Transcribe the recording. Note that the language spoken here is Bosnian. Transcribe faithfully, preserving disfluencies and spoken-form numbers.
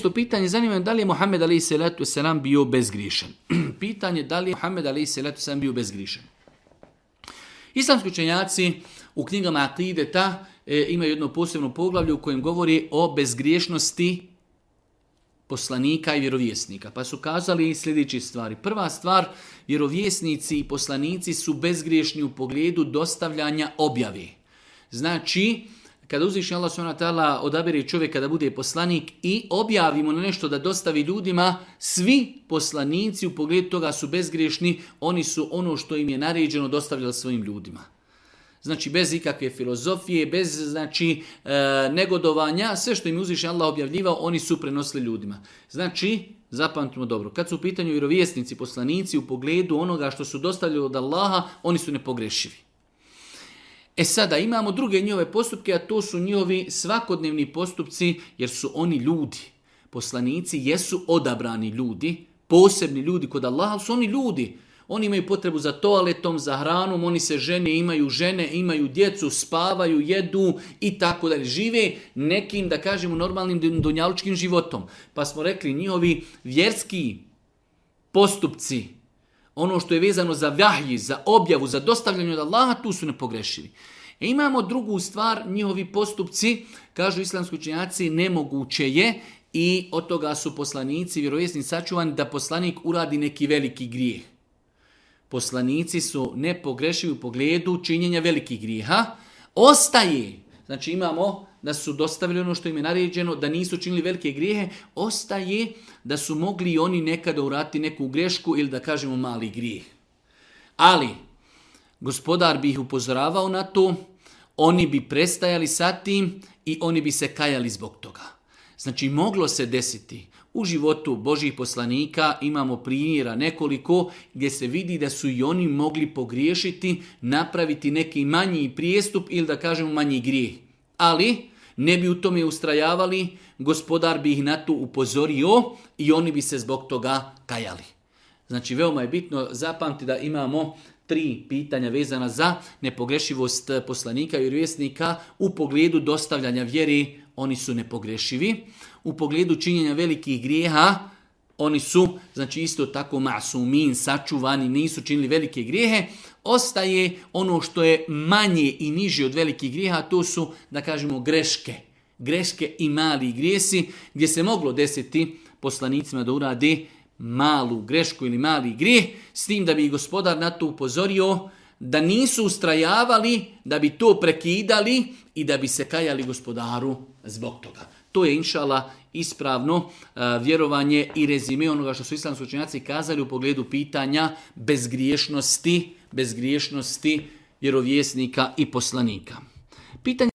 deseto pitanje, zanima da li je Muhammed alejhi selatu vesselam bio bezgriješan. Pitanje da li je Muhammed alejhi selatu vesselam bio bezgriješan. Islamski učenjaci u knjigama Akideta e, imaju jedno posebno poglavlje u kojem govori o bezgriješnosti poslanika i vjerovjesnika. Pa su kazali sljedeće stvari. Prva stvar, vjerovjesnici i poslanici su bezgriješni u pogledu dostavljanja objave. Znači, kada uzvišeni Allah subhanahu wa ta'ala odabere čovjeka da bude poslanik i objavimo na nešto da dostavi ljudima, svi poslanici u pogledu toga su bezgriješni, oni su ono što im je naređeno dostavljali svojim ljudima. Znači bez ikakve filozofije, bez znači e, negodovanja, sve što im uzvišeni Allah objavljivao, oni su prenosili ljudima. Znači, zapamtimo dobro, kad su u pitanju vjerovjesnici, poslanici u pogledu onoga što su dostavljali od Allaha, oni su nepogrešivi. E sada imamo druge njihove postupke, a to su njihovi svakodnevni postupci, jer su oni ljudi. Poslanici jesu odabrani ljudi, posebni ljudi kod Allaha, ali su oni ljudi. Oni imaju potrebu za toaletom, za hranom, oni se žene, imaju žene, imaju djecu, spavaju, jedu i tako dalje. Žive nekim, da kažemo, normalnim dunjalučkim životom. Pa smo rekli, njihovi vjerski postupci, ono što je vezano za vahji, za objavu, za dostavljanje od Allaha, tu su nepogrešivi. E imamo drugu stvar, njihovi postupci, kažu islamski učenjaci, nemoguće je i od toga su poslanici, vjerovjesnici sačuvani da poslanik uradi neki veliki grijeh. Poslanici su nepogrešivi u pogledu činjenja velikih grijeha. Ostaje, znači imamo da su dostavili ono što im je naređeno, da nisu činili velike grijehe, ostaje da su mogli i oni nekada uraditi neku grešku ili da kažemo mali grijeh. Ali, gospodar bi ih upozoravao na to, oni bi prestajali sa tim i oni bi se kajali zbog toga. Znači, moglo se desiti. U životu Božjih poslanika imamo primjera nekoliko gdje se vidi da su i oni mogli pogriješiti, napraviti neki manji prijestup ili da kažemo manji grijeh. Ali ne bi u tome ustrajavali, gospodar bi ih na to upozorio i oni bi se zbog toga kajali. Znači veoma je bitno zapamtiti da imamo tri pitanja vezana za nepogrešivost poslanika i vjerovjesnika u pogledu dostavljanja vjeri, oni su nepogrešivi. U pogledu činjenja velikih grijeha, oni su, znači isto tako masumin, sačuvani, nisu činili velike grijehe. Ostaje ono što je manje i niže od velikih grijeha, to su, da kažemo, greške. Greške i mali grijesi, gdje se moglo desiti poslanicima da urade malu grešku ili mali grijeh, s tim da bi gospodar na to upozorio, da nisu ustrajavali, da bi to prekidali i da bi se kajali gospodaru zbog toga. To je inšala ispravno uh, vjerovanje i rezime onoga što su islamski učenjaci kazali u pogledu pitanja bezgriješnosti, bezgriješnosti vjerovjesnika i poslanika. Pitanje